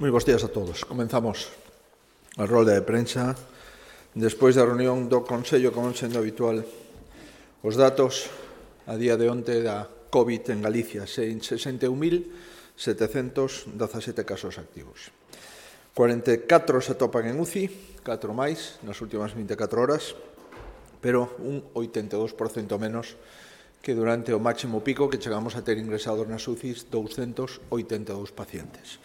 Moi bons días a todos. Comenzamos a rolda de prensa. Despois da reunión do Consello, como sendo habitual, os datos a día de onte da COVID en Galicia, 61.717 casos activos. 44 se atopan en UCI, 4 máis nas últimas 24 horas, pero un 82% menos que durante o máximo pico que chegamos a ter ingresados nas UCIs 282 pacientes.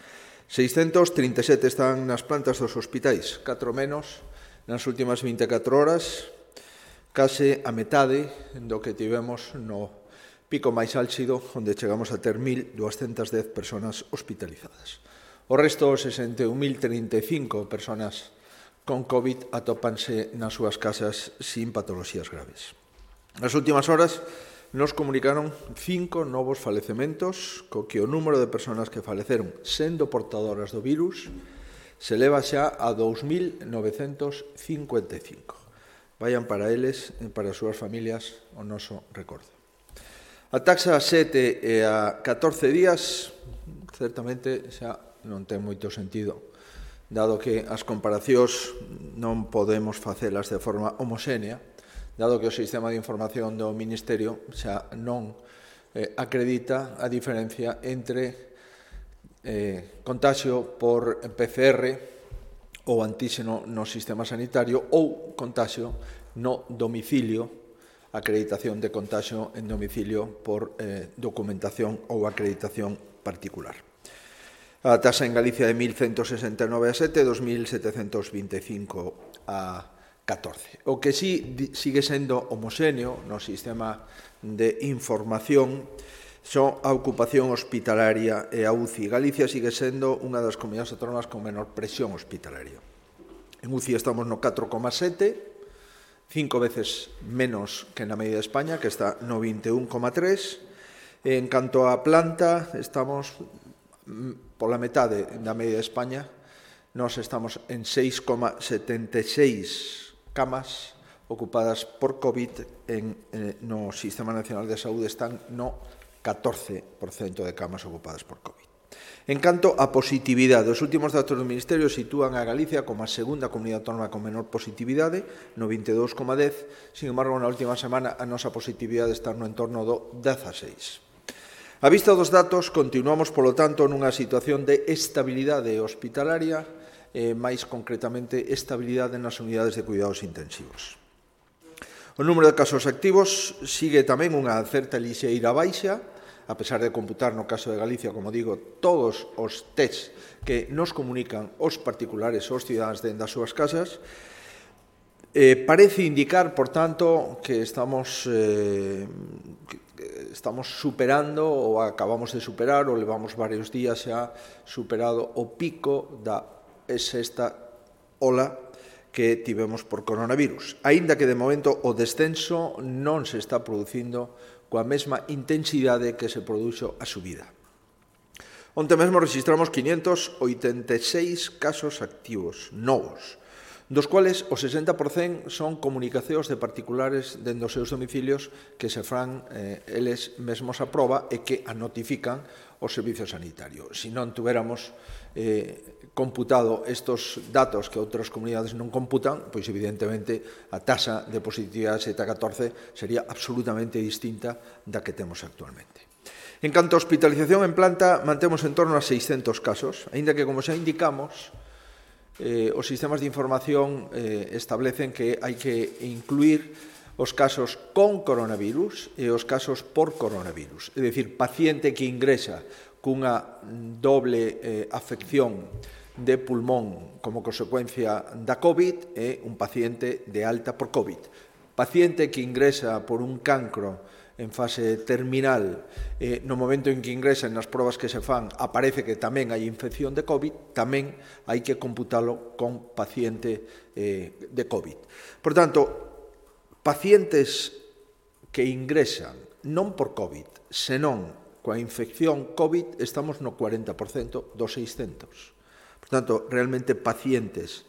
637 están nas plantas dos hospitais, 4 menos nas últimas 24 horas, case a metade do que tivemos no pico máis álxido, onde chegamos a ter 1.210 personas hospitalizadas. O resto, 61.035 personas con COVID atópanse nas súas casas sin patoloxías graves. Nas últimas horas nos comunicaron 5 novos falecementos, co que o número de persoas que faleceron sendo portadoras do virus se leva xa a 2.955. Vayan para eles e para as súas familias o noso recordo. A taxa a 7 e a 14 días certamente xa non ten moito sentido, dado que as comparacións non podemos facelas de forma homoxénea, dado que o sistema de información do Ministerio xa non acredita a diferencia entre contaxio por PCR ou antíxeno no sistema sanitario ou contaxio no domicilio, acreditación de contaxio en domicilio por documentación ou acreditación particular. A taxa en Galicia de 1.169 a 7, 2.725 a 14. O que sí sigue sendo homoxéneo no sistema de información son a ocupación hospitalaria e a UCI. Galicia sigue sendo unha das comunidades autónomas con menor presión hospitalaria. En UCI estamos no 4,7, 5 veces menos que na media de España, que está no 21,3. En canto á planta, estamos pola metade da media de España. Nós estamos en 6,76 camas ocupadas por COVID, no Sistema Nacional de Saúde están no 14% de camas ocupadas por COVID. En canto a positividade, os últimos datos do Ministerio sitúan a Galicia como a segunda comunidade autónoma con menor positividade, no 22,10, sin embargo, na última semana a nosa positividade está no entorno do 16. A vista dos datos, continuamos, polo tanto, nunha situación de estabilidade hospitalaria, máis concretamente estabilidade nas unidades de cuidados intensivos. O número de casos activos sigue tamén unha certa lixeira baixa, a pesar de computar no caso de Galicia, como digo, todos os tests que nos comunican os particulares ou os cidadáns dentro das súas casas. Parece indicar, por tanto, que estamos superando ou acabamos de superar ou levamos varios días xa superado o pico da sexta ola que tivemos por coronavirus, aínda que de momento o descenso non se está producindo coa mesma intensidade que se produxo a subida. Onte mesmo registramos 586 casos activos novos, dos cuales o 60% son comunicacións de particulares dentro dos seus domicilios que se fan eles mesmos a proba e que a notifican o servicio sanitario. Se non tuéramos computado estes datos que outras comunidades non computan, pois evidentemente a taxa de positividade 7 a 14 sería absolutamente distinta da que temos actualmente. En canto a hospitalización en planta, mantemos en torno a 600 casos, aínda que, como xa indicamos, os sistemas de información establecen que hai que incluir os casos con coronavirus e os casos por coronavirus. É dicir, paciente que ingresa cunha doble afección de pulmón como consecuencia da COVID e un paciente de alta por COVID. Paciente que ingresa por un cancro en fase terminal, no momento en que ingresan nas probas que se fan, aparece que tamén hai infección de COVID, tamén hai que computalo con paciente de COVID. Por tanto, pacientes que ingresan non por COVID, senón coa infección COVID, estamos no 40% dos 600. Por tanto, realmente pacientes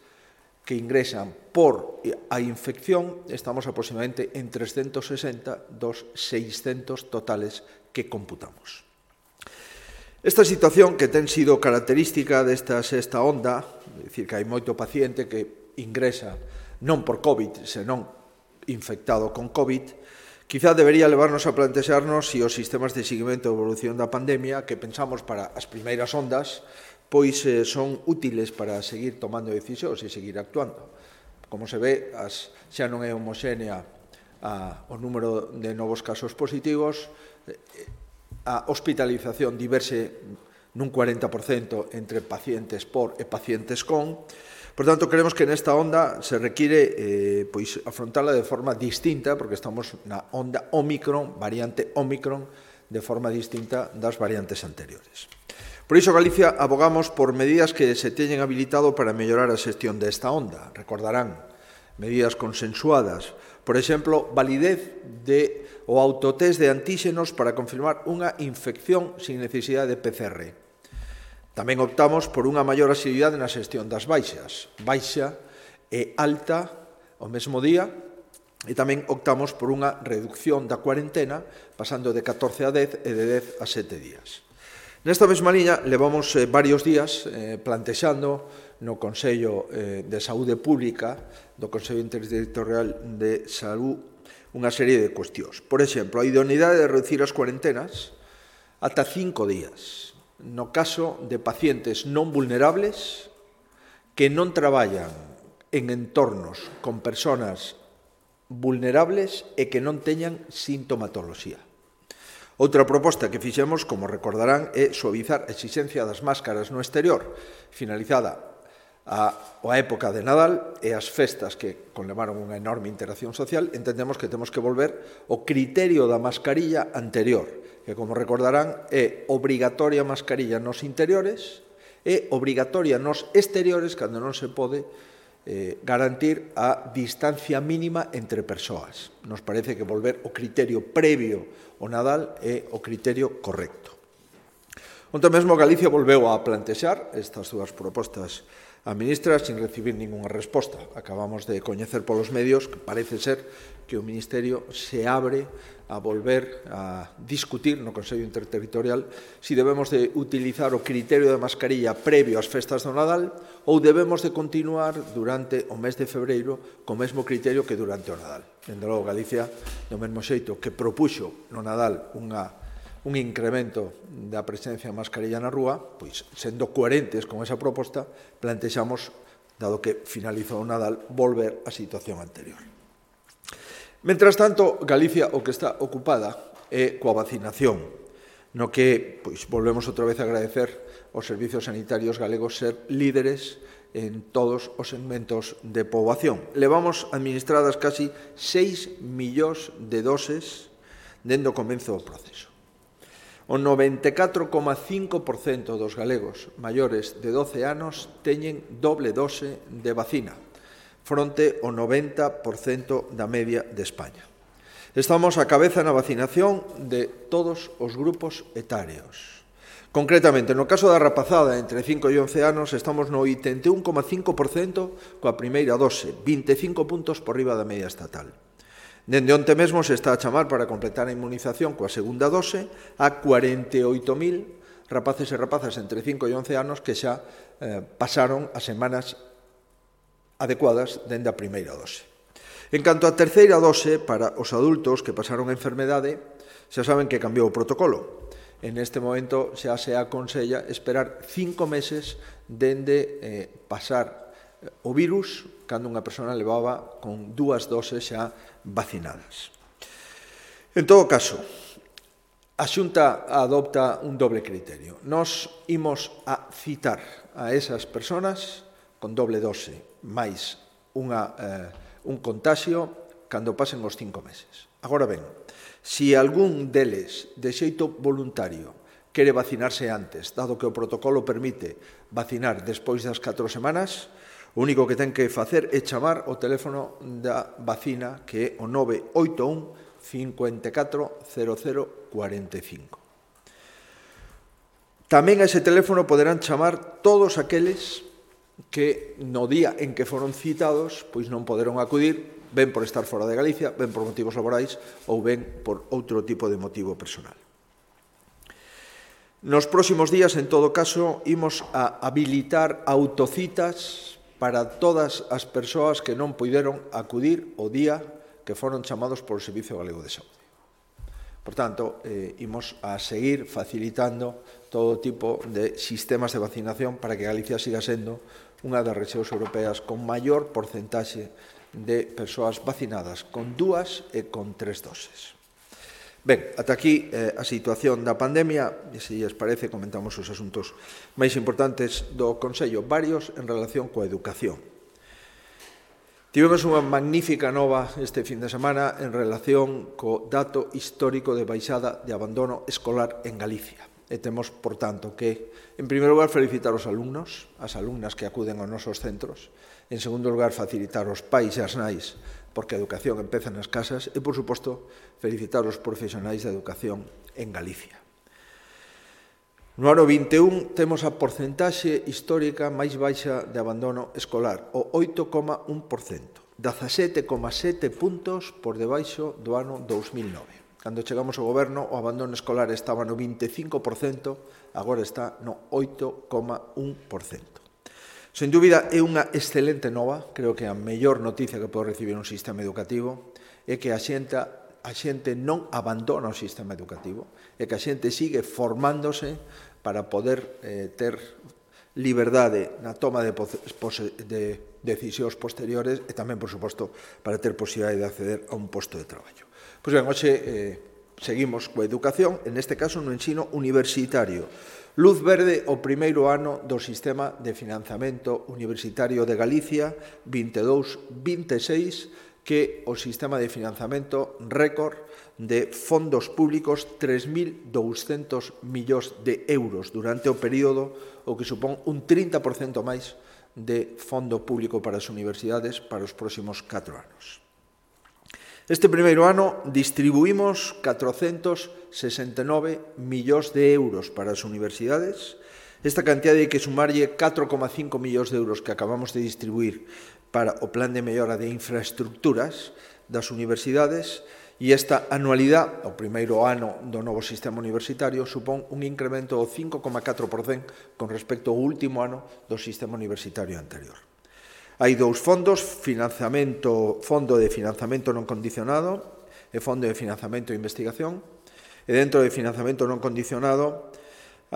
que ingresan por a infección, estamos aproximadamente en 360 dos 600 totales que computamos. Esta situación que ten sido característica desta sexta onda, é dicir, que hai moito paciente que ingresa non por COVID, senón infectado con COVID, quizá debería levarnos a plantexarnos se os sistemas de seguimento e evolución da pandemia que pensamos para as primeiras ondas pois son útiles para seguir tomando decisións e seguir actuando. Como se ve, xa non é homoxénea o número de novos casos positivos, a hospitalización diverse nun 40% entre pacientes por e pacientes con. Por tanto, creemos que nesta onda se require afrontarla de forma distinta, porque estamos na onda Ómicron, variante Ómicron, de forma distinta das variantes anteriores. Por iso, Galicia, abogamos por medidas que se teñen habilitado para mellorar a xestión desta onda. Recordarán medidas consensuadas, por exemplo, validez do autotest de antíxenos para confirmar unha infección sin necesidade de PCR. Tamén optamos por unha maior asiduidade na xestión das baixas, baixa e alta ao mesmo día, e tamén optamos por unha reducción da cuarentena, pasando de 14 a 10 e de 10 a 7 días. Nesta mesma liña, levamos varios días plantexando no Consello de Saúde Pública, do Consello Interterritorial de Salud, unha serie de cuestións. Por exemplo, a idoneidade de reducir as cuarentenas ata 5 días, no caso de pacientes non vulnerables que non traballan en entornos con persoas vulnerables e que non teñan sintomatoloxía. Outra proposta que fixemos, como recordarán, é suavizar a exixencia das máscaras no exterior, finalizada a época de Nadal e as festas que conlevaron unha enorme interacción social. Entendemos que temos que volver ao criterio da mascarilla anterior, que, como recordarán, é obrigatoria mascarilla nos interiores e obrigatoria nos exteriores cando non se pode garantir a distancia mínima entre persoas. Nos parece que volver ao criterio previo ao Nadal é o criterio correcto. Onte mesmo Galicia volveu a plantexar estas dúas propostas a ministra sin recibir ningunha resposta. Acabamos de coñecer polos medios que parece ser que o Ministerio se abre a volver a discutir no Consello Interterritorial se debemos de utilizar o criterio de mascarilla previo ás festas do Nadal ou debemos de continuar durante o mes de febreiro co mesmo criterio que durante o Nadal. Dende logo, Galicia, do mesmo xeito que propuxo no Nadal un incremento da presencia de mascarilla na rúa, pois, sendo coherentes con esa proposta, plantexamos, dado que finalizou o Nadal, volver á situación anterior. Mentras tanto, Galicia o que está ocupada é coa vacinación, no que volvemos outra vez a agradecer aos servizos sanitarios galegos ser líderes en todos os segmentos de poboación. Levamos administradas casi 6 millóns de doses dende o comezo do proceso. O 94,5% dos galegos maiores de 12 anos teñen doble dose de vacina, fronte ao 90% da media de España. Estamos á cabeza na vacinación de todos os grupos etarios. Concretamente, no caso da rapazada entre 5 e 11 anos, estamos no 81,5% coa primeira dose, 25 puntos por riba da media estatal. Dende onte mesmo se está a chamar para completar a inmunización coa segunda dose a 48.000 rapaces e rapazas entre 5 e 11 anos que xa pasaron as semanas adecuadas dende a primeira dose. En canto á terceira dose, para os adultos que pasaron a enfermedade, xa saben que cambiou o protocolo. En este momento xa se aconsella esperar 5 meses dende pasar o virus cando unha persona levaba con 2 doses xa vacinadas. En todo caso, a Xunta adopta un doble criterio. Nos imos a citar a esas persoas con doble dose máis un contagio cando pasen os 5 meses. Agora ben, se algún deles de xeito voluntario quere vacinarse antes, dado que o protocolo permite vacinar despois das 4 semanas, o único que ten que facer é chamar o teléfono da vacina, que é o 981 54 00 45. Tamén a ese teléfono poderán chamar todos aqueles que no día en que foron citados pois non poderon acudir, ben por estar fora de Galicia, ben por motivos laborais ou ben por outro tipo de motivo personal. Nos próximos días, en todo caso, imos a habilitar autocitas para todas as persoas que non puideron acudir o día que foron chamados por o Servicio Galego de Saúde. Por tanto, imos a seguir facilitando todo tipo de sistemas de vacinación para que Galicia siga sendo unha das rexións europeas con maior porcentaxe de persoas vacinadas con 2 e con 3 doses. Ben, ata aquí a situación da pandemia, e se lles parece comentamos os asuntos máis importantes do Consello, varios en relación coa educación. Tivemos unha magnífica nova este fin de semana en relación co dato histórico de baixada de abandono escolar en Galicia. E temos, por tanto, que, en primeiro lugar, felicitar os alumnos, as alumnas que acuden aos nosos centros. En segundo lugar, facilitar os pais e as nais, porque a educación empeza nas casas. E, por suposto, felicitar os profesionais da educación en Galicia. No ano 21 temos a porcentaxe histórica máis baixa de abandono escolar, o 8,1%, 17,7 puntos por debaixo do ano 2009. Cando chegamos ao goberno, o abandono escolar estaba no 25%, agora está no 8,1%. Sen dúbida, é unha excelente nova, creo que a mellor noticia que pode recibir un sistema educativo é que a xente non abandona o sistema educativo, é que a xente sigue formándose para poder ter liberdade na toma de decisións posteriores e tamén, por suposto, para ter posibilidade de acceder a un posto de traballo. Pois ben, hoxe seguimos coa educación, en este caso no ensino universitario. Luz verde o primeiro ano do sistema de financiamento universitario de Galicia 22-26, que o sistema de financiamento récord de fondos públicos 3.200 millóns de euros durante o período, o que supón un 30% máis de fondo público para as universidades para os próximos 4 anos. Este primeiro ano distribuímos 469 millóns de euros para as universidades. Esta cantidad hai que sumarlle 4,5 millóns de euros que acabamos de distribuir para o plan de mellora de infraestructuras das universidades, e esta anualidade, o primeiro ano do novo sistema universitario, supón un incremento do 5,4% con respecto ao último ano do sistema universitario anterior. Hai dous fondos, fondo de financiamento non condicionado e fondo de financiamento de investigación. E dentro de financiamento non condicionado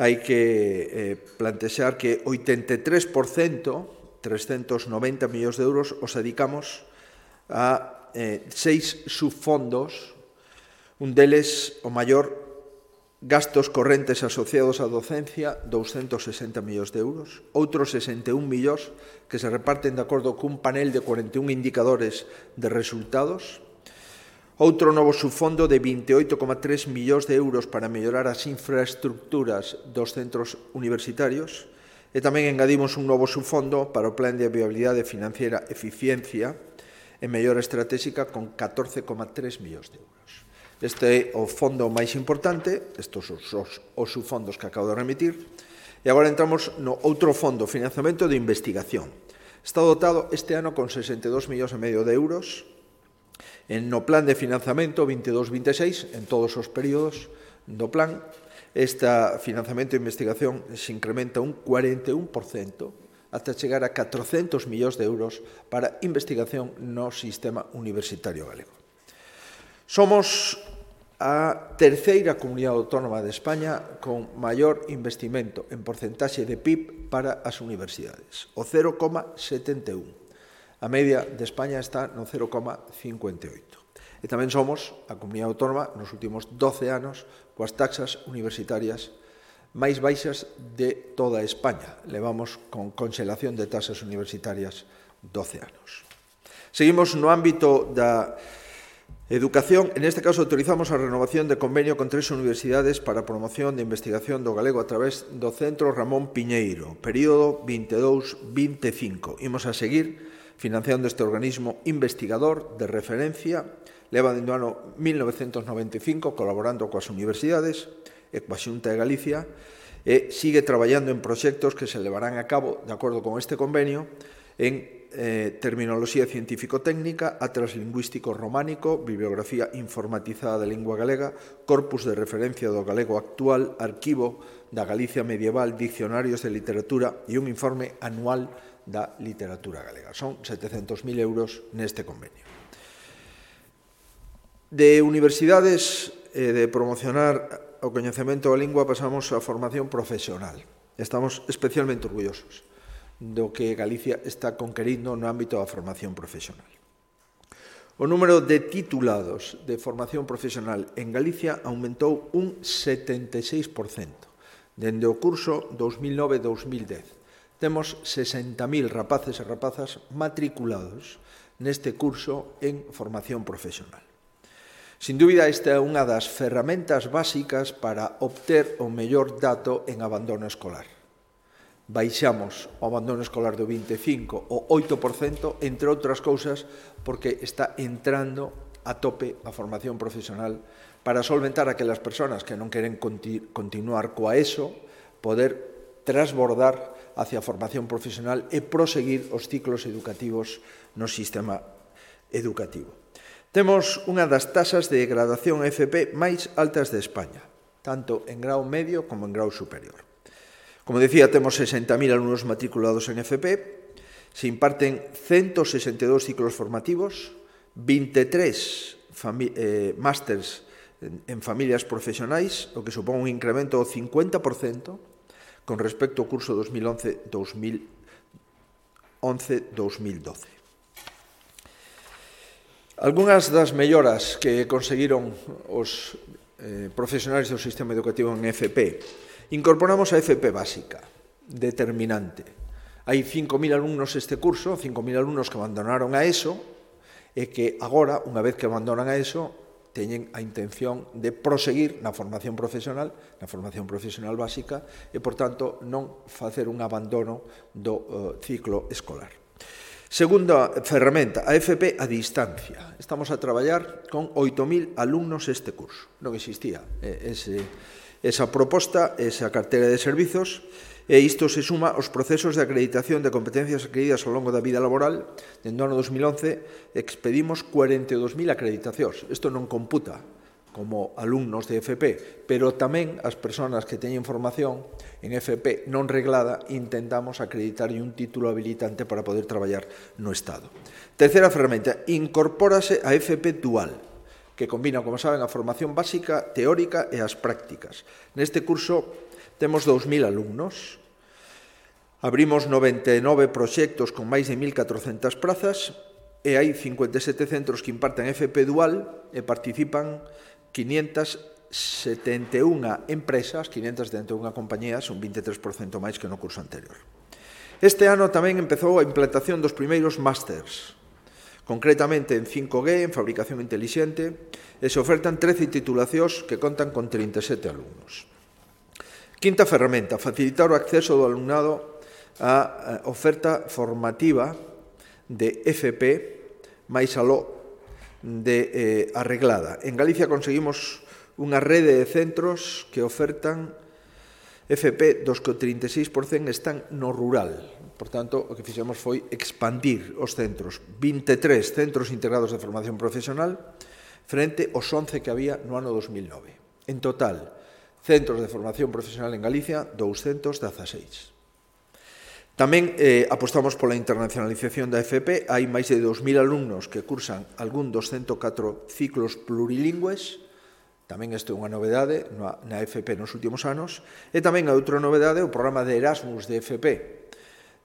hai que plantexar que 83%, 390 millóns de euros, os dedicamos a 6 subfondos, un deles o maior, gastos correntes asociados á docencia, 260 millóns de euros, outros 61 millóns que se reparten de acordo cun panel de 41 indicadores de resultados, outro novo subfondo de 28,3 millóns de euros para mellorar as infraestructuras dos centros universitarios, e tamén engadimos un novo subfondo para o plan de viabilidade financiera eficiencia e mellora estratégica con 14,3 millóns de euros. Este é o fondo máis importante, estes son os subfondos que acabo de remitir, e agora entramos no outro fondo, financiamento de investigación. Está dotado este ano con 62,5 millóns de euros, no plan de financiamento 22-26, en todos os períodos do plan. Este financiamento de investigación se incrementa un 41%, ata chegar a 400 millóns de euros para investigación no sistema universitario galego. Somos a terceira comunidade autónoma de España con maior investimento en porcentaxe de PIB para as universidades, o 0,71. A media de España está no 0,58. E tamén somos a comunidade autónoma nos últimos 12 anos coas taxas universitarias máis baixas de toda España. Levamos con conxelación de taxas universitarias 12 anos. Seguimos no ámbito da educación. En este caso, autorizamos a renovación de convenio con 3 universidades para a promoción de investigación do galego a través do Centro Ramón Piñeiro, período 22-25. Imos a seguir financiando este organismo investigador de referencia. Leva dende o ano 1995 colaborando coas universidades e coa Xunta de Galicia e sigue traballando en proxectos que se levarán a cabo, de acordo con este convenio, en terminoloxía científico-técnica, atlas lingüístico románico, bibliografía informatizada da lingua galega, corpus de referencia do galego actual, arquivo da Galicia medieval, diccionarios de literatura e un informe anual da literatura galega. Son 700.000 euros neste convenio. De universidades de promocionar o coñecemento da lingua pasamos á formación profesional. Estamos especialmente orgullosos do que Galicia está conquerindo no ámbito da formación profesional. O número de titulados de formación profesional en Galicia aumentou un 76% dende o curso 2009-2010. Temos 60.000 rapaces e rapazas matriculados neste curso en formación profesional. Sin dúbida, esta é unha das ferramentas básicas para obter o mellor dato en abandono escolar. Baixamos o abandono escolar do 25% ao 8%, entre outras cousas, porque está entrando a tope a formación profesional para solventar aquelas persoas que non queren continuar coa ESO, poder transbordar hacia a formación profesional e proseguir os ciclos educativos no sistema educativo. Temos unha das tasas de graduación FP máis altas de España, tanto en grau medio como en grau superior. Como decía, temos 60.000 alumnos matriculados en FP, se imparten 162 ciclos formativos, 23 másters en familias profesionais, o que supón un incremento do 50% con respecto ao curso 2011-2012. Algunhas das melloras que conseguiron os profesionais do sistema educativo en FP: incorporamos a FP básica, determinante. Hai 5.000 alumnos este curso, 5.000 alumnos que abandonaron a ESO e que agora, unha vez que abandonan a ESO, teñen a intención de proseguir na formación profesional básica e, por tanto, non facer un abandono do ciclo escolar. Segunda ferramenta, a FP a distancia. Estamos a traballar con 8.000 alumnos este curso. Non existía esa proposta, esa carteira de servizos, e isto se suma aos procesos de acreditación de competencias adquiridas ao longo da vida laboral. Dende o ano 2011 expedimos 42.000 acreditacións. Isto non computa como alumnos de FP, pero tamén as persoas que teñen formación en FP non reglada intentamos acreditar un título habilitante para poder traballar no Estado. Terceira ferramenta, incorpórase a FP dual, que combina, como saben, a formación básica, teórica e as prácticas. Neste curso temos 2.000 alumnos, abrimos 99 proxectos con máis de 1.400 plazas e hai 57 centros que imparten FP dual e participan 571 empresas, 571 compañías, un 23% máis que no curso anterior. Este ano tamén empezou a implantación dos primeiros másters, concretamente en 5G, en fabricación intelixente, e se ofertan 13 titulacións que contan con 37 alumnos. Quinta ferramenta, facilitar o acceso do alumnado á oferta formativa de FP máis aló de arreglada. En Galicia conseguimos unha rede de centros que ofertan FP dos que o 36% están no rural. Por tanto, o que fixemos foi expandir os centros. 23 centros integrados de formación profesional frente aos 11 que había no ano 2009. En total, centros de formación profesional en Galicia, 216. Tamén apostamos pola internacionalización da FP. Hai máis de 2.000 alumnos que cursan algún dos 104 ciclos plurilingües. Tamén isto é unha novedade na FP nos últimos anos. E tamén a outra novedade o programa de Erasmus de FP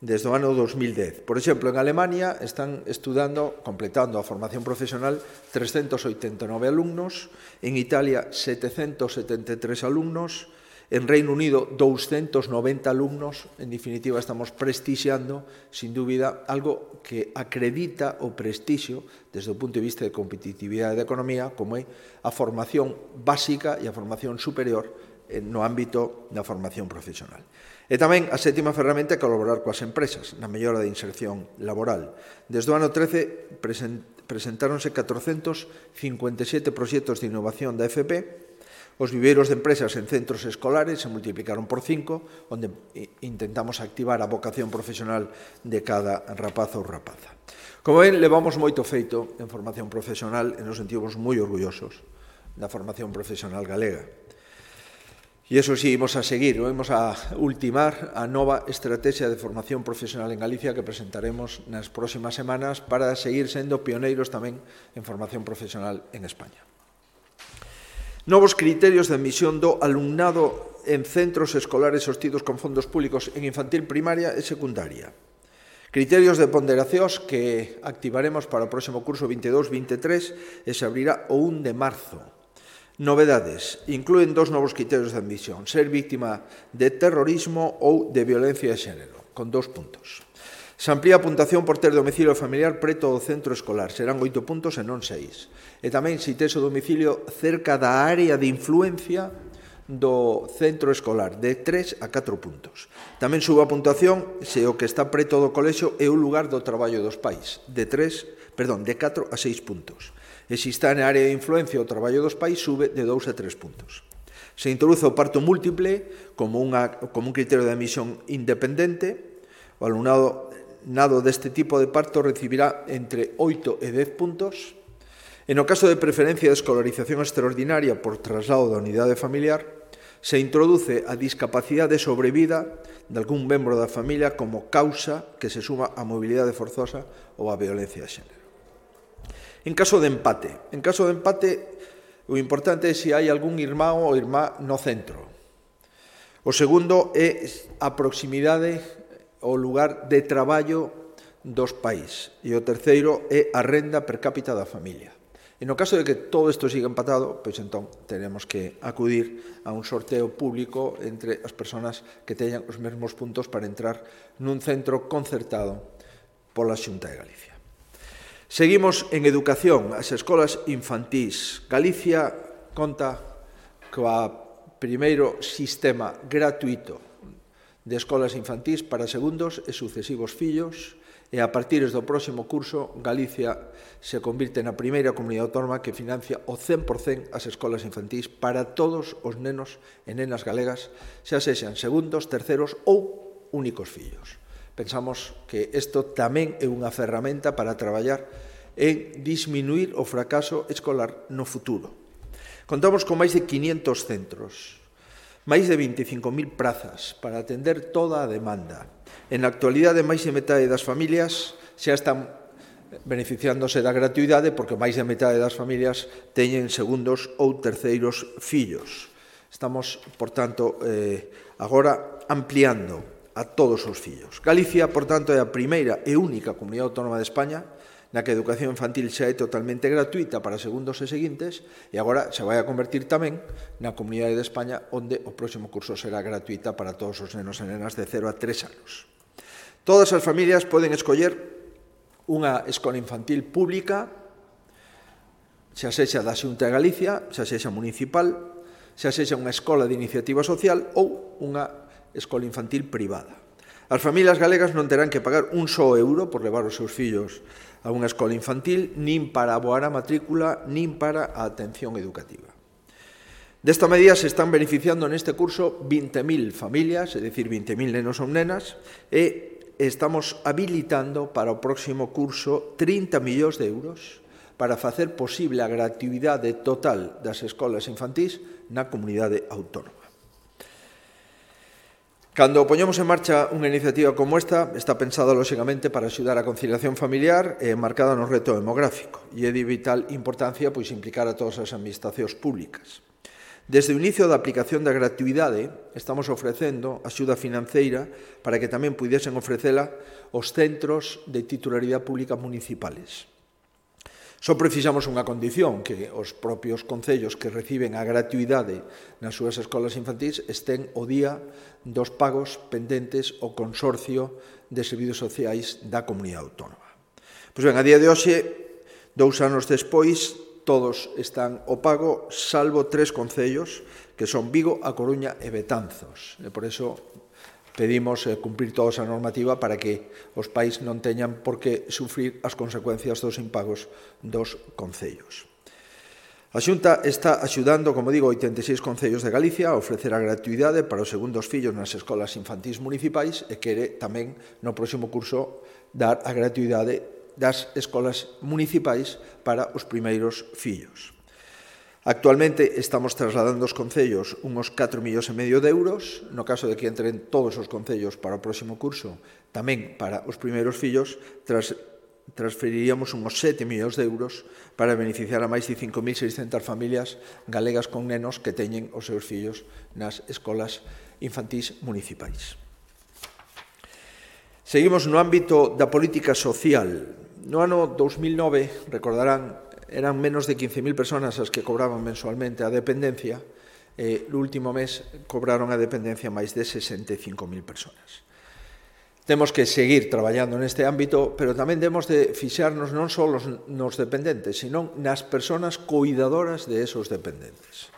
desde o ano 2010. Por exemplo, en Alemania están estudando, completando a formación profesional, 389 alumnos, en Italia 773 alumnos, en Reino Unido 290 alumnos. En definitiva, estamos prestixiando, sin dúbida, algo que acredita o prestixio desde o punto de vista de competitividade da economía, como é a formación básica e a formación superior no ámbito da formación profesional. E tamén a sétima ferramenta é colaborar coas empresas na mellora da inserción laboral. Desde o ano 13 presentáronse 457 proxectos de innovación da FP, Os viveiros de empresas en centros escolares se multiplicaron por 5, onde intentamos activar a vocación profesional de cada rapaz ou rapaza. Como ven, levamos moito feito en formación profesional e nos sentimos moi orgullosos da formación profesional galega. E iso sí, imos a seguir, imos a ultimar a nova estrategia de formación profesional en Galicia que presentaremos nas próximas semanas para seguir sendo pioneiros tamén en formación profesional en España. Novos criterios de admisión do alumnado en centros escolares sostidos con fondos públicos en infantil, primaria e secundaria. Criterios de ponderacións que activaremos para o próximo curso 22-23 e se abrirá o 1 de marzo. Novedades. Inclúen 2 novos criterios de admisión. Ser víctima de terrorismo ou de violencia de xénero, con 2 puntos. Se amplía a puntuación por ter domicilio familiar preto do centro escolar. Serán 8 puntos e non 6. E tamén se tes o domicilio cerca da área de influencia do centro escolar, de 3 a 4 puntos. Tamén sube a puntuación se o que está preto do colexio é o lugar do traballo dos pais, de 4 a 6 puntos. E se está na área de influencia o traballo dos pais, sube de 2 a 3 puntos. Se introduce o parto múltiple como un criterio de admisión independente. O alumnado nado deste tipo de parto recibirá entre 8 e 10 puntos. En o caso de preferencia de escolarización extraordinaria por traslado da unidade familiar, se introduce a discapacidade sobrevida de algún membro da familia como causa que se suma á mobilidade forzosa ou á violencia de xénero. En caso de empate, o importante é se hai algún irmán ou irmá no centro. O segundo é a proximidade ao lugar de traballo dos pais. E o terceiro é a renda per cápita da familia. E no caso de que todo isto siga empatado, pois entón teremos que acudir a un sorteo público entre as persoas que teñan os mesmos puntos para entrar nun centro concertado pola Xunta de Galicia. Seguimos en educación, as escolas infantís. Galicia conta coa primeiro sistema gratuito de escolas infantís para segundos e sucesivos fillos, e a partir do próximo curso Galicia se convirte na primeira comunidade autónoma que financia o 100% as escolas infantís para todos os nenos e nenas galegas, xa sexan segundos, terceros ou únicos fillos. Pensamos que isto tamén é unha ferramenta para traballar en disminuir o fracaso escolar no futuro. Contamos con máis de 500 centros, máis de 25.000 prazas para atender toda a demanda. En la actualidade, máis de metade das familias xa están beneficiándose da gratuidade porque máis de metade das familias teñen segundos ou terceiros fillos. Estamos, por tanto, agora ampliando a todos os fillos. Galicia, por tanto, é a primeira e única comunidade autónoma de España na que a educación infantil xa é totalmente gratuita para segundos e seguintes e agora se vai a convertir tamén na comunidade de España onde o próximo curso será gratuita para todos os nenos e nenas de 0 a 3 anos. Todas as familias poden escoller unha escola infantil pública, xa sexa da Xunta de Galicia, xa sexa municipal, xa sexa unha escola de iniciativa social ou unha escola infantil privada. As familias galegas non terán que pagar un só euro por levar os seus fillos a unha escola infantil, nin para aboar a matrícula, nin para a atención educativa. Desta medida se están beneficiando neste curso 20.000 familias, é dicir, 20.000 nenos ou nenas, e estamos habilitando para o próximo curso 30 millóns de euros para facer posible a gratuidade total das escolas infantís na comunidade autónoma. Cando poñemos en marcha unha iniciativa como esta, está pensada, lóxicamente, para axudar a conciliación familiar e marcada no reto demográfico. E é de vital importancia implicar a todas as administracións públicas. Desde o inicio da aplicación da gratuidade, estamos ofrecendo axuda financeira para que tamén puidesen ofrecela os centros de titularidade pública municipales. Só precisamos unha condición, que os propios concellos que reciben a gratuidade nas súas escolas infantís estén o día dos pagos pendentes ao Consorcio de Servizos Sociais da Comunidade Autónoma. Pois ben, a día de hoxe, 2 anos despois, todos están ao pago, salvo 3 concellos, que son Vigo, A Coruña e Betanzos. E por iso pedimos cumprir toda esa normativa para que os pais non teñan por que sufrir as consecuencias dos impagos dos concellos. A Xunta está axudando, como digo, 86 concellos de Galicia a ofrecer a gratuidade para os segundos fillos nas escolas infantís municipais e quere tamén no próximo curso dar a gratuidade das escolas municipais para os primeiros fillos. Actualmente estamos trasladando aos concellos unos 4,5 millóns de euros, no caso de que entren todos os concellos para o próximo curso, tamén para os primeiros fillos, transferiríamos unos 7 millóns de euros para beneficiar a máis de 5.600 familias galegas con nenos que teñen os seus fillos nas escolas infantís municipais. Seguimos no ámbito da política social. No ano 2009, recordarán, eran menos de 15.000 personas as que cobraban mensualmente a dependencia, no último mes cobraron a dependencia máis de 65.000 personas. Temos que seguir traballando neste ámbito, pero tamén temos de fixarnos non só nos dependentes, sino nas persoas cuidadoras de esos dependentes.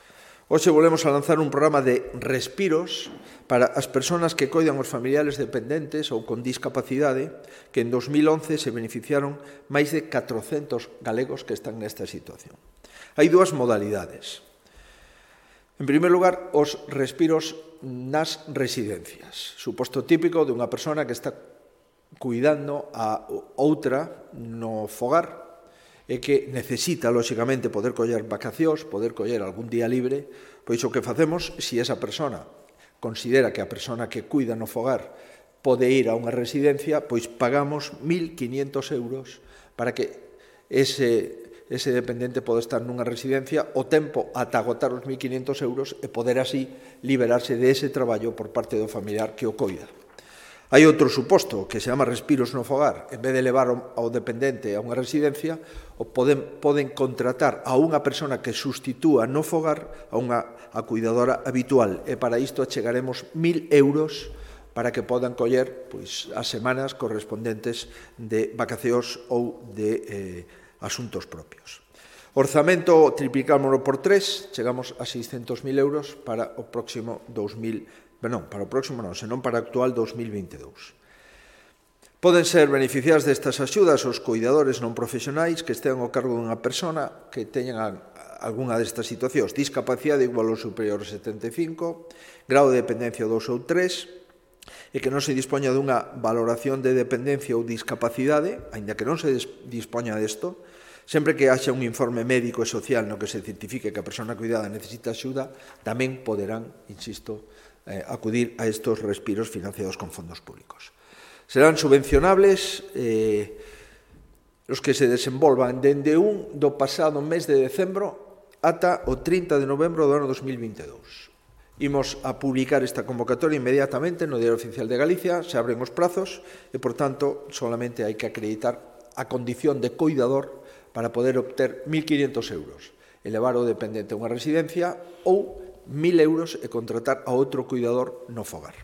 Hoxe volvemos a lanzar un programa de respiros para as persoas que coidan os familiares dependentes ou con discapacidade, que en 2011 se beneficiaron máis de 400 galegos que están nesta situación. Hai dúas modalidades. En primeiro lugar, os respiros nas residencias. Suposto típico de unha persona que está cuidando a outra no fogar e que necesita, lóxicamente, poder coller vacacións, poder coller algún día libre, pois o que facemos, se esa persona considera que a persona que cuida no fogar pode ir a unha residencia, pois pagamos 1.500 euros para que ese dependente pode estar nunha residencia o tempo ata agotar os 1.500 euros e poder así liberarse dese traballo por parte do familiar que o coida. Hai outro suposto que se chama respiros no fogar. En vez de levar ao dependente a unha residencia, poden contratar a unha persona que sustitúa no fogar a cuidadora habitual. E para isto achegaremos 1.000 euros para que podan coller as semanas correspondentes de vacacións ou de asuntos propios. Orzamento triplicámoslo por 3, chegamos a 600.000 euros para o próximo senón para o actual 2022. Poden ser beneficiados destas axudas os cuidadores non profesionais que estean ao cargo dunha persona que teñan algunha destas situacións: discapacidade igual ou superior a 75, grau de dependencia 2 ou 3, e que non se dispoña dunha valoración de dependencia ou discapacidade, aínda que non se dispoña desto, sempre que haxa un informe médico e social no que se certifique que a persona cuidada necesita axuda, tamén poderán, insisto, acudir a estos respiros financiados con fondos públicos. Serán subvencionables os que se desenvolvan dende do pasado mes de decembro ata o 30 de novembro do ano 2022. Imos a publicar esta convocatoria inmediatamente no Diario Oficial de Galicia, se abren os prazos e, por tanto, solamente hai que acreditar a condición de cuidador para poder obter 1.500 euros, elevar o dependente a unha residencia ou 1.000 euros e contratar a outro cuidador no fogar.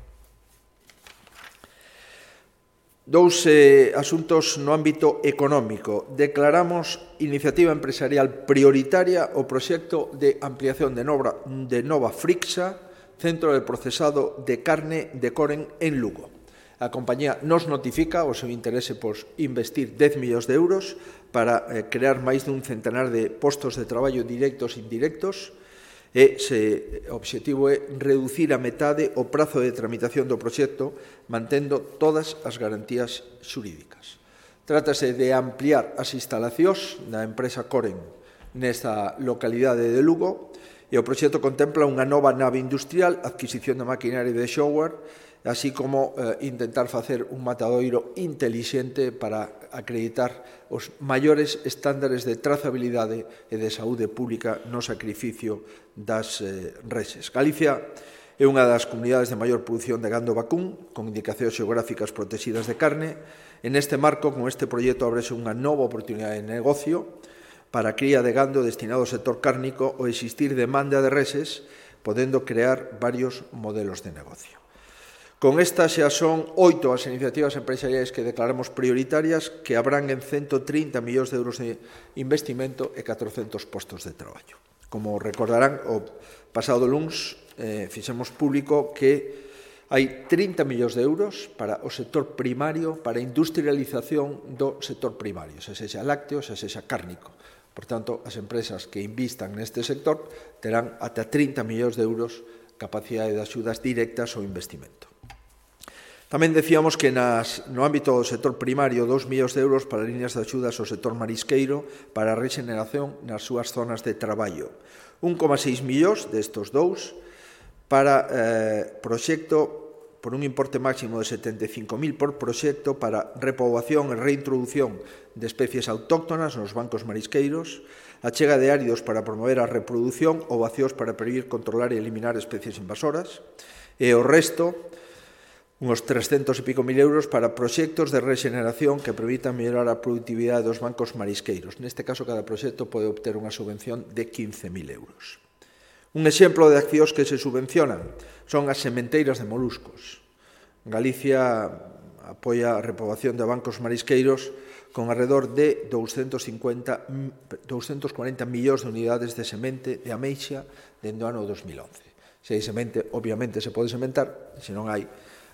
Dous asuntos no ámbito económico. Declaramos iniciativa empresarial prioritaria o proxecto de ampliación de Nova Frixa, centro de procesado de carne de Coren en Lugo. A compañía nos notifica o seu interese por investir 10 millóns de euros para crear máis dun centenar de postos de traballo directos e indirectos e o obxectivo é reducir a metade o prazo de tramitación do proxecto mantendo todas as garantías xurídicas. Trátase de ampliar as instalacións da empresa Coren nesta localidade de Lugo e o proxecto contempla unha nova nave industrial, adquisición de maquinaria de software, así como intentar facer un matadoiro intelixente para acreditar os maiores estándares de trazabilidade e de saúde pública no sacrificio das reses. Galicia é unha das comunidades de maior produción de gando vacún, con indicacións xeográficas protegidas de carne. En este marco, con este proxecto, ábrese unha nova oportunidade de negocio para a cría de gando destinado ao sector cárnico ou existir demanda de reses, podendo crear varios modelos de negocio. Con estas xa son 8 as iniciativas empresariais que declaramos prioritarias, que habrán en 130 millóns de euros de investimento e 400 postos de traballo. Como recordarán, o pasado luns fixemos público que hai 30 millóns de euros para o sector primario, para a industrialización do sector primario, xa sexa lácteo, xa sexa cárnico, Por tanto, as empresas que invistan neste sector terán ata 30 millóns de euros capacidade de axudas directas ao investimento. Tamén decíamos que no ámbito do sector primario 2 millóns de euros para líneas de axudas ao sector marisqueiro para a rexeneración nas súas zonas de traballo. 1,6 millóns destos dous para proxecto por un importe máximo de 75.000 por proxecto para repoboación e reintroducción de especies autóctonas nos bancos marisqueiros, a chega de áridos para promover a reproducción ou vacíos para prevenir, controlar e eliminar especies invasoras, e o resto, uns 300 e pico mil euros para proxectos de rexeneración que permitan mellorar a productividade dos bancos marisqueiros. Neste caso, cada proxecto pode obter unha subvención de 15.000 euros. Un exemplo de accións que se subvencionan son as sementeiras de moluscos. Galicia apoia a repoboación de bancos marisqueiros con alrededor de 240 millóns de unidades de semente de ameixa dende o ano 2011. Se hai semente, obviamente se pode sementar, se non hai,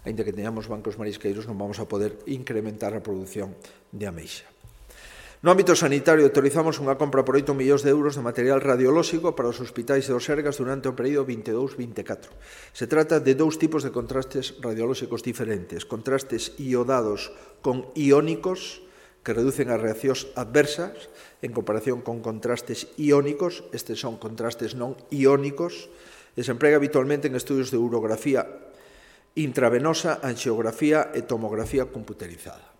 aínda que teñamos bancos marisqueiros, non vamos a poder incrementar a produción de ameixa. No ámbito sanitario, autorizamos unha compra por 8 millóns de euros de material radiolóxico para os hospitais do Sergas durante o período 22-24. Se trata de dous tipos de contrastes radiolóxicos diferentes, contrastes iodados con iónicos, que reducen as reaccións adversas, en comparación con contrastes iónicos, estes son contrastes non iónicos, e se emprega habitualmente en estudios de urografía intravenosa, anxiografía e tomografía computerizada.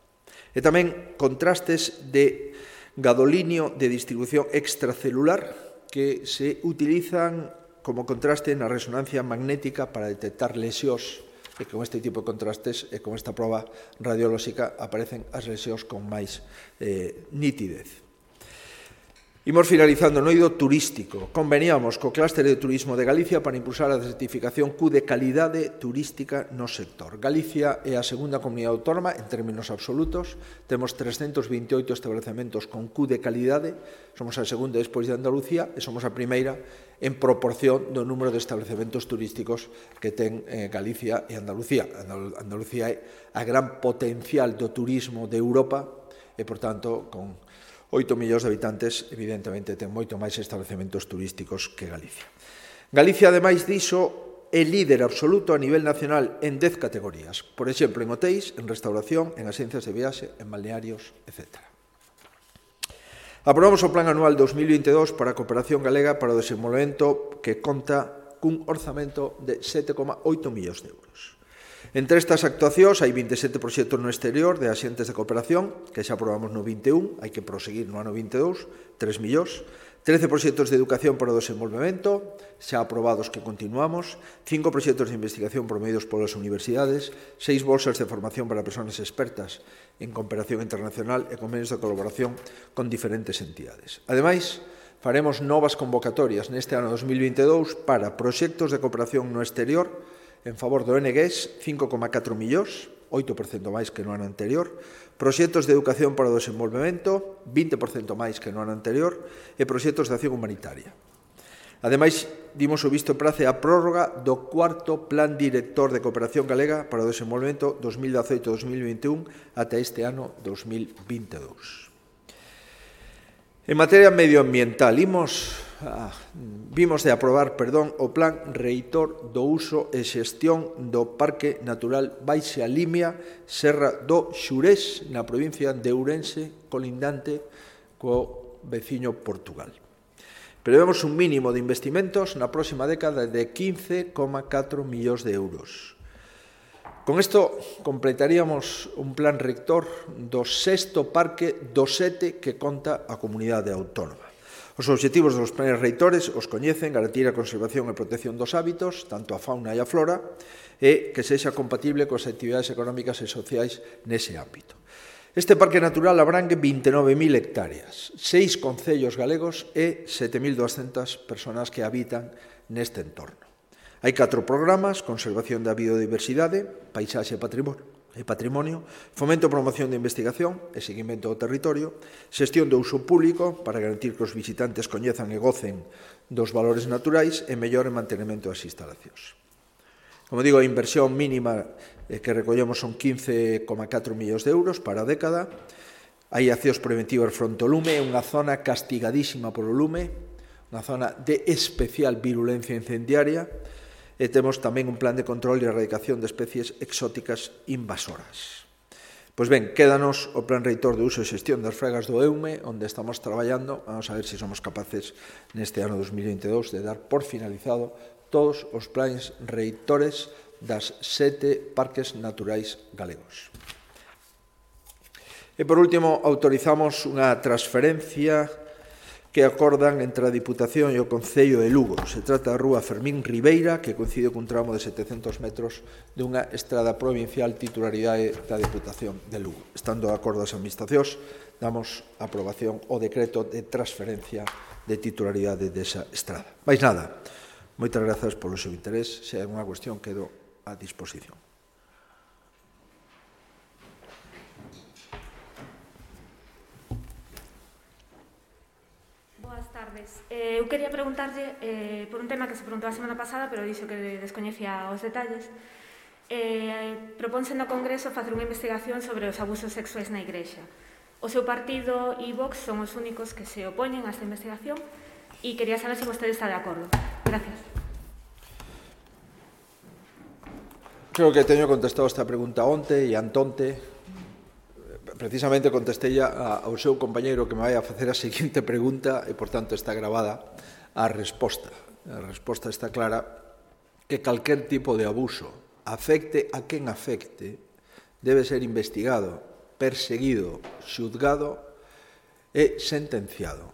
E tamén contrastes de gadolinio de distribución extracelular que se utilizan como contraste na resonancia magnética para detectar lesións, e con este tipo de contrastes e con esta proba radiolóxica aparecen as lesións con máis nitidez. Imos finalizando no eido turístico. Conveniamos co clúster de turismo de Galicia para impulsar a certificación Q de calidade turística no sector. Galicia é a segunda comunidade autónoma en términos absolutos. Temos 328 establecementos con Q de calidade. Somos a segunda despois de Andalucía e somos a primeira en proporción do número de establecementos turísticos que ten Galicia e Andalucía. Andalucía é a gran potencial do turismo de Europa e, por tanto, con 8 millóns de habitantes, evidentemente, ten moito máis establecementos turísticos que Galicia. Galicia, ademais diso, é líder absoluto a nivel nacional en 10 categorías. Por exemplo, en hotéis, en restauración, en axencias de viaxe, en balnearios, etc. Aprobamos o Plan Anual 2022 para a Cooperación Galega para o Desenvolvemento que conta cun orzamento de 7,8 millóns de euros. Entre estas actuacións hai 27 proxectos no exterior de axentes de cooperación, que xa aprobamos no 21, hai que proseguir no ano 22, 3 millóns, 13 proxectos de educación para o desenvolvemento, xa aprobados que continuamos, 5 proxectos de investigación promovidos polas universidades, 6 bolsas de formación para persoas expertas en cooperación internacional e convenios de colaboración con diferentes entidades. Ademais, faremos novas convocatorias neste ano 2022 para proxectos de cooperación no exterior en favor do NGES, 5,4 millóns, 8% máis que no ano anterior, proxectos de educación para o desenvolvemento, 20% máis que no ano anterior, e proxectos de acción humanitaria. Ademais, dimos o visto prace a prórroga do cuarto Plan Director de Cooperación Galega para o Desenvolvemento 2018-2021 ata este ano 2022. En materia medioambiental, vimos de aprobar o Plan Reitor do uso e xestión do Parque Natural Baixa Limia, Serra do Xurés, na provincia de Ourense, colindante co veciño Portugal. Prevemos un mínimo de investimentos na próxima década de 15,4 millóns de euros. Con isto completaríamos un plan rector do sexto parque do 7 que conta a comunidade autónoma. Os obxectivos dos planes reitores os coñecen: garantir a conservación e protección dos hábitos, tanto a fauna e a flora, e que sexa compatible coas actividades económicas e sociais nese ámbito. Este parque natural abrangue 29.000 hectáreas, 6 concellos galegos e 7.200 persoas que habitan neste entorno. Hai 4 programas: conservación da biodiversidade, paisaxe e patrimonio, fomento e promoción de investigación e seguimento do territorio, xestión do uso público para garantir que os visitantes coñezan e gocen dos valores naturais e mellor mantenimento das instalacións. Como digo, a inversión mínima que recollemos son 15,4 millóns de euros para a década. hai accións preventivas fronte ao lume, é unha zona castigadísima polo lume, unha zona de especial virulencia incendiaria, e temos tamén un plan de control e erradicación de especies exóticas invasoras. Pois ben, quédanos o Plan Reitor de uso e xestión das fregas do EUME, onde estamos traballando. Vamos a ver se somos capaces neste ano 2022 de dar por finalizado todos os plans reitores das 7 parques naturais galegos. E, por último, autorizamos unha transferencia que acordan entre a Diputación e o Concello de Lugo. Se trata da rúa Fermín Ribeira, que coincide cun tramo de 700 metros dunha estrada provincial titularidade da Diputación de Lugo. Estando de acordo as administracións, damos aprobación ao decreto de transferencia de titularidade desa estrada. Mais nada, moitas grazas polo seu interés. Se hai unha cuestión, quedo a disposición. Eu quería preguntarlle por un tema que se preguntou a semana pasada, pero dixo que descoñecía os detalles. Propónse no Congreso facer unha investigación sobre os abusos sexuais na Igrexa. O seu partido e Vox son os únicos que se opoñen a esta investigación e quería saber se vostede está de acordo. Gracias. Creo que teño contestado esta pregunta onte e antonte. Precisamente contestei ao seu compañeiro que me vai a facer a seguinte pregunta e, por tanto, está gravada a resposta. A resposta está clara que calquer tipo de abuso, afecte a quen afecte, debe ser investigado, perseguido, xuzgado e sentenciado.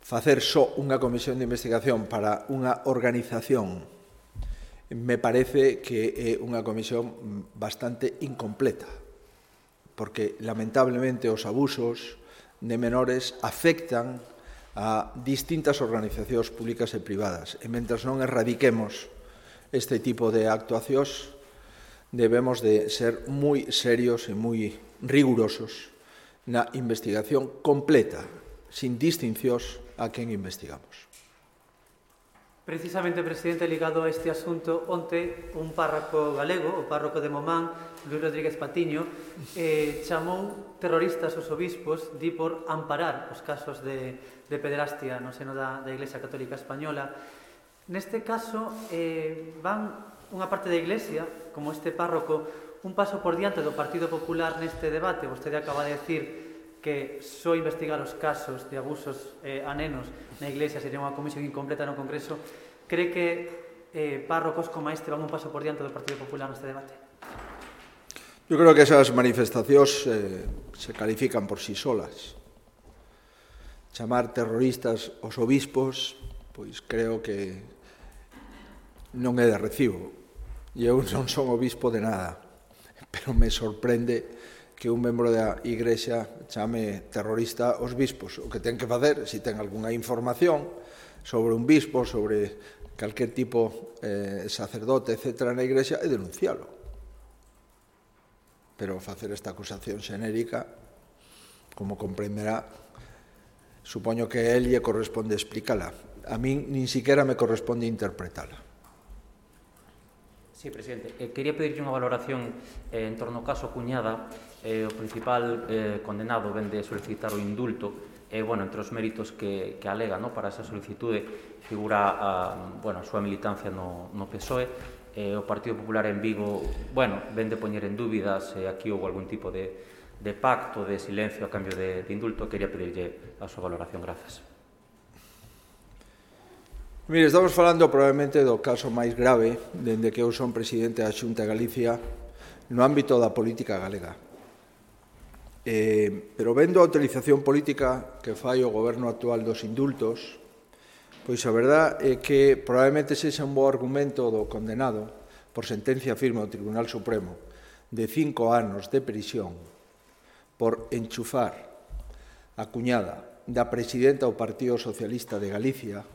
Facer só unha comisión de investigación para unha organización me parece que é unha comisión bastante incompleta, porque lamentablemente os abusos de menores afectan a distintas organizacións públicas e privadas, e mentres non erradiquemos este tipo de actuacións, debemos de ser moi serios e moi rigurosos na investigación completa, sin distincións a quen investigamos. Precisamente, presidente, ligado a este asunto, onte un párroco galego, o párroco de Momán, Luis Rodríguez Patiño, chamou terroristas os obispos di por amparar os casos de pederastia no seno da Iglesia Católica Española. Neste caso, van unha parte da Iglesia, como este párroco, un paso por diante do Partido Popular neste debate. Vostede acaba de decir que só investigar os casos de abusos a nenos na Iglesia sería unha comisión incompleta no Congreso. Cree que párrocos como este van un paso por diante do Partido Popular neste debate? Eu creo que esas manifestacións se califican por sí solas. Chamar terroristas aos obispos, pois creo que non é de recibo. E eu non son obispo de nada, pero me sorprende que un membro da Igrexa chame terrorista aos bispos. O que ten que facer, se ten algunha información sobre un bispo, sobre calquer tipo sacerdote, etc., na Igrexa, é denuncialo. Pero facer esta acusación xenérica, como comprenderá, supoño que a él lle corresponde explícala. A min nin siquiera me corresponde interpretala. Sí, presidente. Quería pedirlle unha valoración en torno ao caso Cuñada. O principal condenado ven de solicitar o indulto. Entre os méritos que alega para esa solicitude figura a súa militancia no PSOE. O Partido Popular en Vigo ven de poñer en dúbida se aquí houve algún tipo de pacto, de silencio a cambio de indulto. Quería pedirlle a súa valoración. Grazas. Mire, estamos falando probablemente do caso máis grave dende que eu son presidente da Xunta de Galicia no ámbito da política galega. Pero vendo a utilización política que fai o goberno actual dos indultos, pois a verdad é que probablemente sexa un bo argumento do condenado por sentencia firme do Tribunal Supremo de 5 anos de prisión por enchufar a cuñada da presidenta do Partido Socialista de Galicia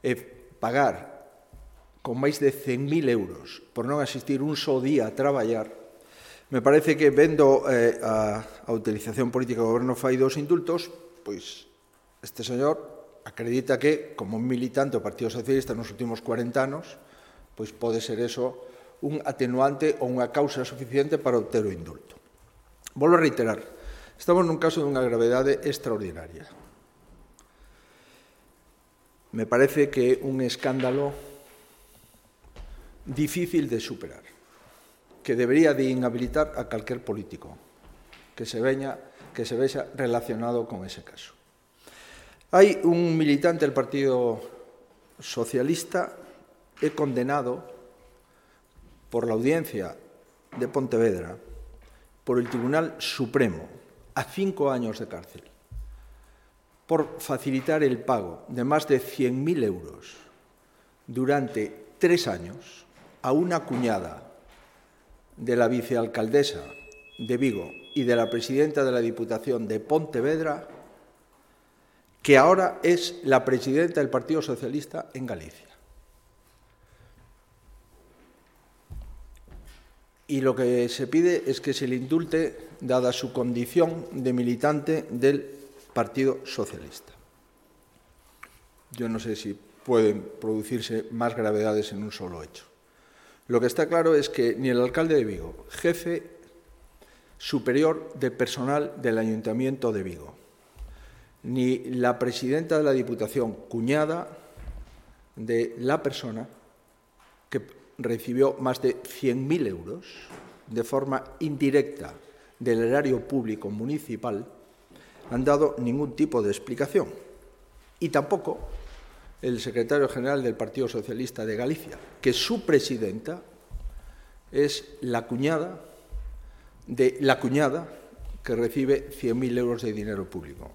e pagar con máis de 100.000 euros por non asistir un só día a traballar, me parece que vendo a utilización política do goberno fai dos indultos, pois este señor acredita que, como un militante do Partido Socialista nos últimos 40 anos, pois pode ser eso un atenuante ou unha causa suficiente para obter o indulto. Volvo a reiterar, Estamos nun caso dunha gravedade extraordinaria. Me parece que é un escándalo difícil de superar, que debería de inhabilitar a calquer político que se vexa relacionado con ese caso. Hai un militante del Partido Socialista condenado por la Audiencia de Pontevedra, por el Tribunal Supremo, a 5 años de cárcel, por facilitar el pago de más de 100.000 euros durante 3 años a una cuñada de la vicealcaldesa de Vigo y de la presidenta de la Diputación de Pontevedra, que ahora es la presidenta del Partido Socialista en Galicia. Y lo que se pide es que se le indulte, dada su condición de militante del Partido Socialista. Yo no sé si pueden producirse más gravedades en un solo hecho. Lo que está claro es que ni el alcalde de Vigo, jefe superior de personal del Ayuntamiento de Vigo, ni la presidenta de la Diputación, cuñada de la persona que recibió más de 100.000 euros de forma indirecta del erario público municipal, han dado ningún tipo de explicación. Y tampoco el secretario general del Partido Socialista de Galicia, que su presidenta es la cuñada de la cuñada que recibe 100.000 euros de dinero público.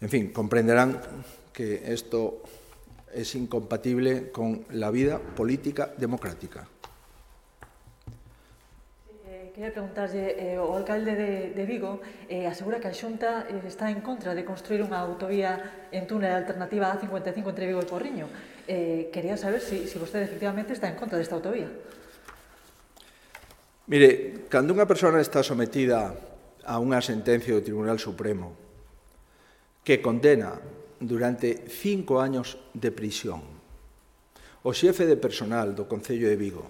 En fin, comprenderán que esto es incompatible con la vida política democrática. Quería preguntarlle, o alcalde de Vigo asegura que a Xunta está en contra de construir unha autovía en túnel alternativa A55 entre Vigo e Porriño. Quería saber si vostede efectivamente está en contra desta autovía. Mire, cando unha persona está sometida a unha sentencia do Tribunal Supremo que condena durante 5 años de prisión o xefe de personal do Concello de Vigo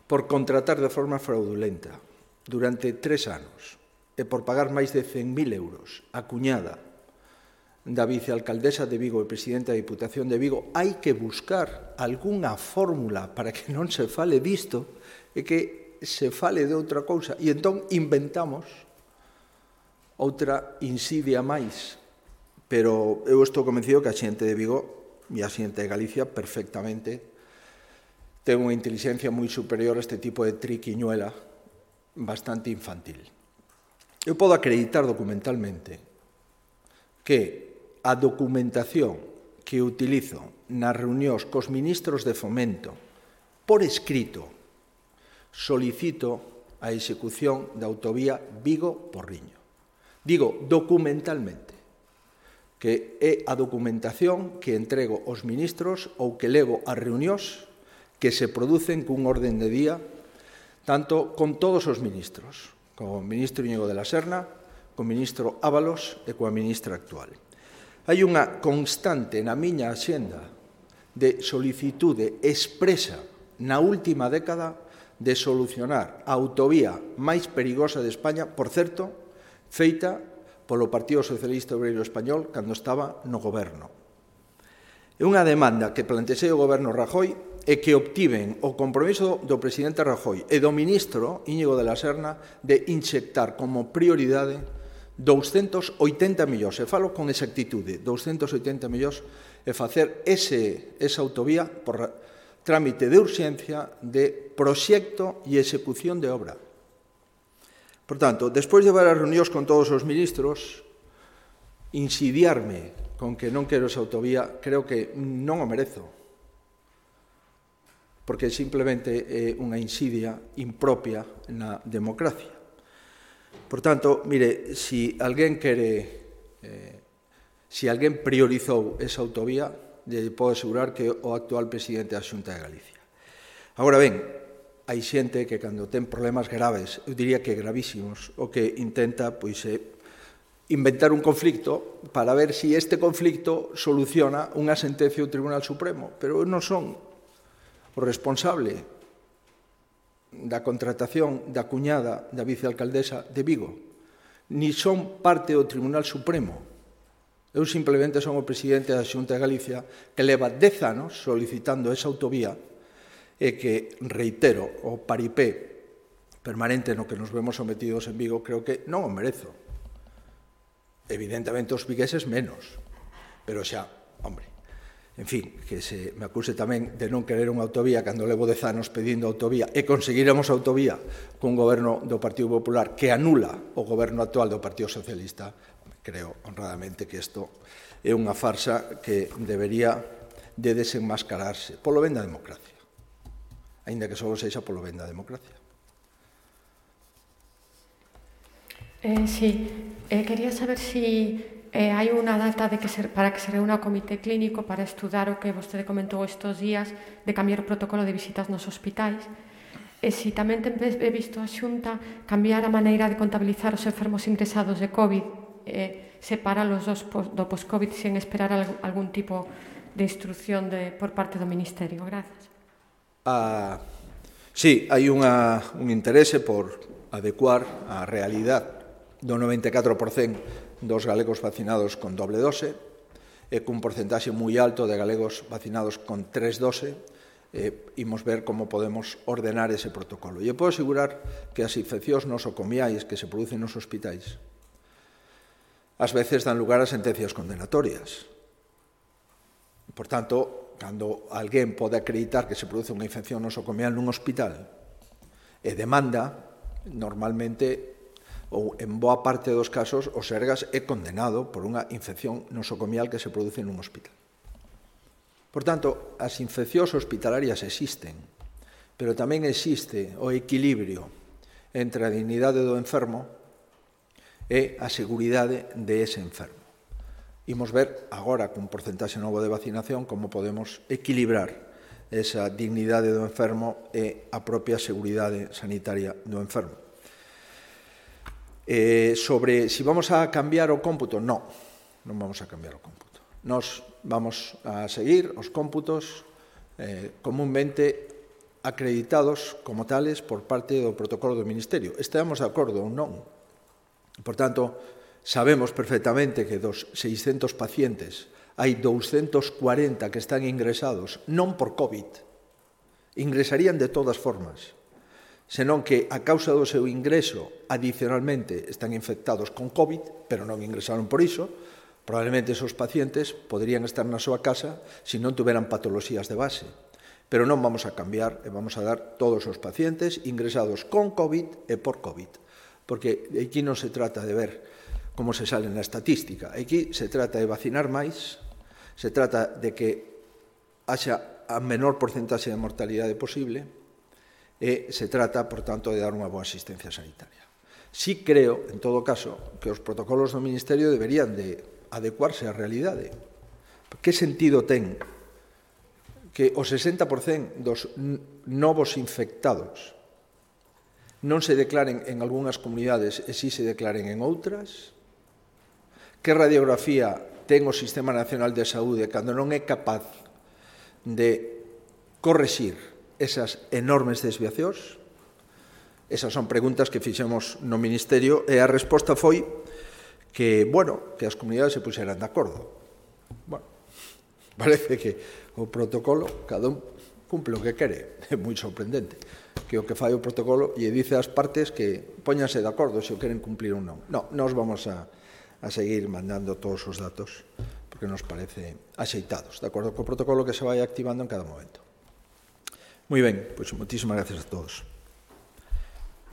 por contratar de forma fraudulenta durante 3 anos e por pagar máis de 100.000 euros a cuñada da vicealcaldesa de Vigo e presidenta da Diputación de Vigo, hai que buscar algunha fórmula para que non se fale disto e que se fale de outra cousa. E entón inventamos outra insidia máis. Pero eu estou convencido que a xente de Vigo e a xente de Galicia perfectamente ten unha inteligencia moi superior a este tipo de triquiñuela bastante infantil. Eu podo acreditar documentalmente que a documentación que utilizo nas reunións cos ministros de Fomento por escrito solicito a execución da autovía Vigo-Porriño. Digo documentalmente, que é a documentación que entrego aos ministros ou que levo ás reunións que se producen cun orden de día, tanto con todos os ministros, co ministro Íñigo de la Serna, co ministro Ábalos e coa ministra actual. Hai unha constante na miña axenda de solicitude expresa na última década de solucionar a autovía máis perigosa de España, por certo, feita polo Partido Socialista Obreiro Español cando estaba no goberno. É unha demanda que plantexei o goberno Rajoy e que obtiven o compromiso do presidente Rajoy e do ministro Íñigo de la Serna de inxectar como prioridade 280 millóns, e falo con exactitude, 280 millóns, e facer esa autovía por trámite de urxencia de proxecto e execución de obra. Por tanto, despois de varias reunións con todos os ministros, insidiarme con que non quero esa autovía, creo que non o merezo, porque simplemente é unha insidia impropia na democracia. Por tanto, mire, si alguén priorizou esa autovía, lle podo asegurar que o actual presidente da Xunta de Galicia. Agora ben, hai xente que cando ten problemas graves, eu diría que gravísimos, o que intenta inventar un conflicto para ver si este conflicto soluciona unha sentencia do Tribunal Supremo, pero eu non son o responsable da contratación da cuñada da vicealcaldesa de Vigo, ni son parte do Tribunal Supremo. Eu simplemente son o presidente da Xunta de Galicia que leva 10 anos solicitando esa autovía e que, reitero, o paripé permanente no que nos vemos sometidos en Vigo creo que non o merezo. Evidentemente os vigueses menos, pero xa, hombre, en fin, que se me acuse tamén de non querer unha autovía cando levo 10 anos pedindo autovía e conseguiremos autovía cun goberno do Partido Popular que anula o goberno actual do Partido Socialista. Creo honradamente que isto é unha farsa que debería de desenmascararse polo ben da democracia, aínda que só sexa polo ben da democracia. Sí, quería saber si hai unha data para que se reúna o comité clínico para estudar o que vostede comentou estes días de cambiar o protocolo de visitas nos hospitais e si tamén ten previsto a Xunta cambiar a maneira de contabilizar os enfermos ingresados de COVID separalos do post-COVID sen esperar algún tipo de instrucción por parte do Ministerio. Gracias. Sí, hai un interese por adecuar a realidade do 94% dos galegos vacinados con doble dose e cun porcentaxe moi alto de galegos vacinados con 3 doses. Imos ver como podemos ordenar ese protocolo. E eu podo asegurar que as infeccións nosocomiais que se producen nos hospitais ás veces dan lugar a sentencias condenatorias. Por tanto, cando alguén pode acreditar que se produce unha infección nosocomial nun hospital e demanda, normalmente, ou en boa parte dos casos, o Sergas é condenado por unha infección nosocomial que se produce nun hospital. Por tanto, as infeccións hospitalarias existen, pero tamén existe o equilibrio entre a dignidade do enfermo e a seguridade de ese enfermo. Imos ver agora, cun porcentaxe novo de vacinación, como podemos equilibrar esa dignidade do enfermo e a propia seguridade sanitaria do enfermo. Sobre si vamos a cambiar o cómputo, non vamos a cambiar o cómputo. Nos vamos a seguir os cómputos comúnmente acreditados como tales por parte do protocolo do Ministerio. Estamos de acordo ou non. Por tanto, sabemos perfectamente que dos 600 pacientes hai 240 que están ingresados non por COVID. Ingresarían de todas formas, senón que a causa do seu ingreso adicionalmente están infectados con COVID, pero non ingresaron por iso. Probablemente esos pacientes poderían estar na súa casa se non tuveran patoloxías de base. Pero non vamos a cambiar e vamos a dar todos os pacientes ingresados con COVID e por COVID. Porque aquí non se trata de ver como se sale na estatística. Aquí se trata de vacinar máis, se trata de que haxa a menor porcentaxe de mortalidade posible e se trata, por tanto, de dar unha boa asistencia sanitaria. Sí creo, en todo caso, que os protocolos do Ministerio deberían de adecuarse á realidade. Que sentido ten que o 60% dos novos infectados non se declaren en algunhas comunidades e si se declaren en outras? Que radiografía ten o Sistema Nacional de Saúde cando non é capaz de correxir esas enormes desviacións? Esas son preguntas que fixemos no Ministerio e a resposta foi que, que as comunidades se puxeran de acordo. Parece que o protocolo, cada un cumple o que quere. É moi sorprendente que o que fai o protocolo lle dice ás partes que póñanse de acordo se o queren cumplir ou non. Non, nós vamos a seguir mandando todos os datos porque nos parece axeitados, de acordo co protocolo que se vai activando en cada momento. Moi ben, pois moitísimas gracias a todos.